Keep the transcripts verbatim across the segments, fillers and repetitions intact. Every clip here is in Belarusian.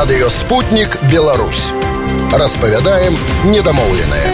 Радыё «Спутнік Беларусь». Распавядаем недамоўленае.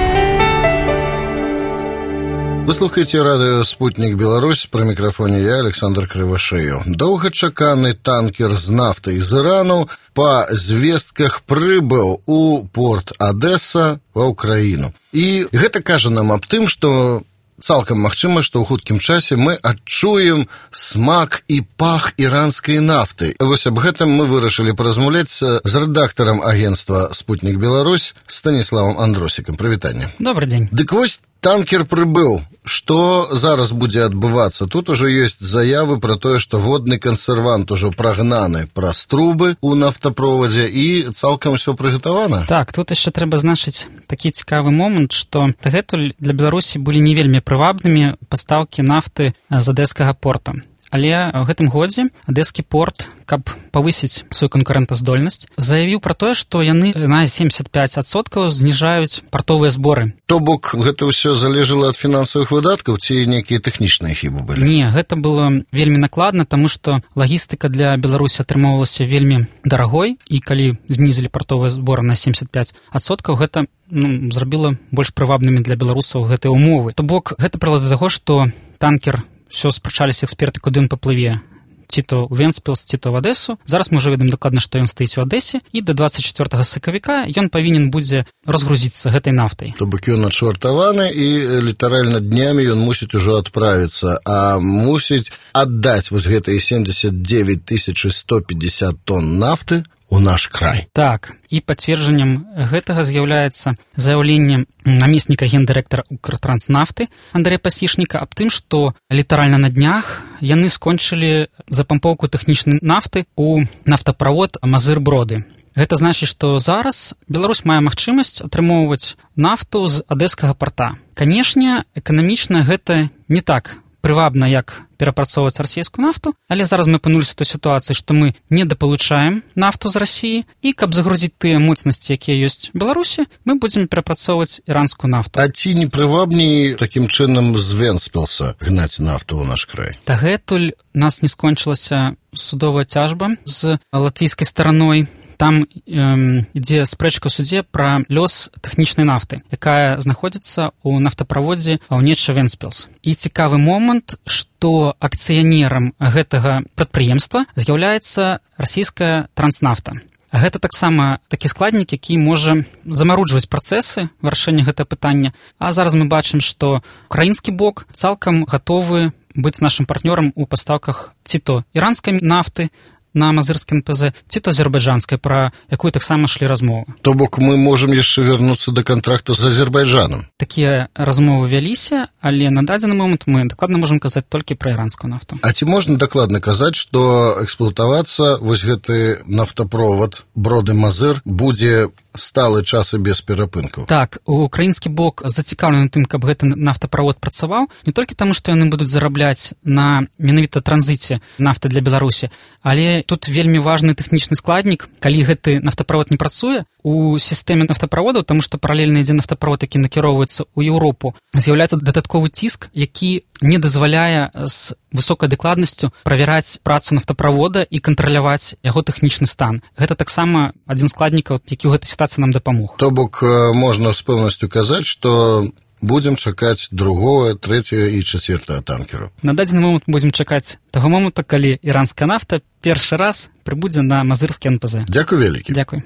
Вы слухаеце радыё «Спутнік Беларусь», пры мікрафоне я, Александр Крывашеев. Доўгачаканы танкер з нафтай з Ірану па звестках прыбыў у порт Адэса ва ўкраіну. І гэта кажа нам аб тым, што цалкам магчыма, што ў хуткім часе мы адчуем смак і пах іранскай нафты. Вось аб гэтым мы вырашылі паразмаўляць з рэдактарам агенцтва «Спутнік Беларусь» Станіславам Андросікам. Прывітанне. Добрый дзень. Дык вось танкер прыбыў. Што зараз будзе адбывацца? Тут ужо ёсць заявы пра тое, што водны кансервант ужо прагнаны праз трубы ў нафтаправодзе і цалкам усё прыгатавана? Так, тут яшчэ трэба значыць такі цікавы момант, што дагэтуль для Беларусі былі не вельмі прывабнымі пастаўкі нафты з адэскага порта. Але ў гэтым годзе адэскі порт, каб павысіць сваю канкурэнтаздольнасць, заявіў пра тое, што яны на семьдесят пять адсоткаў зніжаюць партовыя зборы. То бок гэта ўсё залежала ад фінансавых выдаткаў ці нейкія тэхнічныя хібы былі? Не, гэта было вельмі накладна, таму што лагістыка для Беларусі атрымоўвалася вельмі дарагой, і калі знізілі партовыя зборы на семьдесят пять адсоткаў, гэта ну, зрабіла больш прывабнымі для беларусаў гэтыя умовы. То бок гэта прывяло да таго, што танкер все спрачаліся эксперты, куды ён паплыве, ці то ў Венспілс, ці то в Адэсу. Зараз мы ўжо ведаем дакладна, што ён стаіць у Адэсе, і да двадцать чацвёртага сакавіка ён павінен будзе разгрузіцца гэтай нафтай. То бок ён адшвартаваны, і літаральна днямі ён мусіць ужо адправіцца, а мусіць аддаць вось гэтыя семьдесят девять тысяч сто пятьдесят тонн нафты у наш край. Так, і пацверджаннем гэтага з'яўляецца заяўленне намесніка гендырэктара Укртранснафты Андрэя Пасічніка аб тым, што літаральна на днях яны скончылі запампоўку тэхнічнай нафты ў нафтаправод Мазыр-Броды. Гэта значыць, што зараз Беларусь мае магчымасць атрымоўваць нафту з адэскага порта. Канешне, эканамічна гэта не так прывабна, як перапрацоўваць расійскую нафту, але зараз мы апынуліся ў той сітуацыі, што мы недапалучаем нафту з Расіі, і каб загрузіць тыя моцнасці, якія ёсць у Беларусі, мы будзем перапрацоўваць іранскую нафту. А ці не прывабней такім чынам з Венспілса гнаць нафту ў наш край? Дагэтуль нас не скончылася судовая цяжба з латвійскай стараной. Там эм, ідзе спрэчка ў судзе пра лёс тэхнічнай нафты, якая знаходзіцца ў нафтаправодзе Онечча Венспілс. І цікавы момант, што акцыянерам гэтага прадпрыемства з'яўляецца расійская транснафта. Гэта таксама такі складнік, які можа замаруджваць працэсы вырашэння гэтага пытання. А зараз мы бачым, што украінскі бок цалкам гатовы быць нашым партнёрам у пастаўках ці то іранскай нафты на мазырскі эн пэ зэ, ці то азербайджанскай, пра якую таксама шлі размовы. То бок мы можам яшчэ вярнуцца да кантракту з Азербайджанам? Такія размовы вяліся, але на дадзены момант мы дакладна можам казаць толькі пра іранскую нафту. А ці можна дакладна казаць, што эксплуатавацца вось гэты нафтаправод Броды-Мазыр будзе сталы час і без перапынкаў? Так, украінскі бок зацікаўлены тым, каб гэты нафтаправод працаваў, не толькі таму, што яны будуць зарабляць на менавіта транзіце нафты для Беларусі, але тут вельмі важны тэхнічны складнік. Калі гэты нафтаправод не працуе у сістэме нафтаправодаў, таму што паралельна ідзе нафтаправод, які накіроўваецца ў Еўропу, з'яўляецца дадатковы ціск, які не дазваляе з высокай дакладнасцю правяраць працу нафтаправода і кантраляваць яго тэхнічны стан. Гэта таксама адзін з складнікаў, які ў гэтай сітуацыі нам дапамог. То бок можна з пэўнасцю казаць, што будзем чакаць другого, трэцяга і чацвёртага танкеру. На дадзены момант будзем чакаць таго моманту, калі іранская нафта першы раз прыбудзе на мазырскі эн пэ зэ. Дзякуй вялікі. Дзякуй.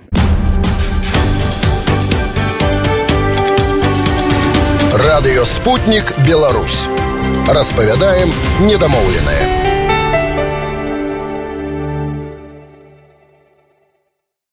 Радыё «Спутнік Беларусь». Распавядаем недамоўленае.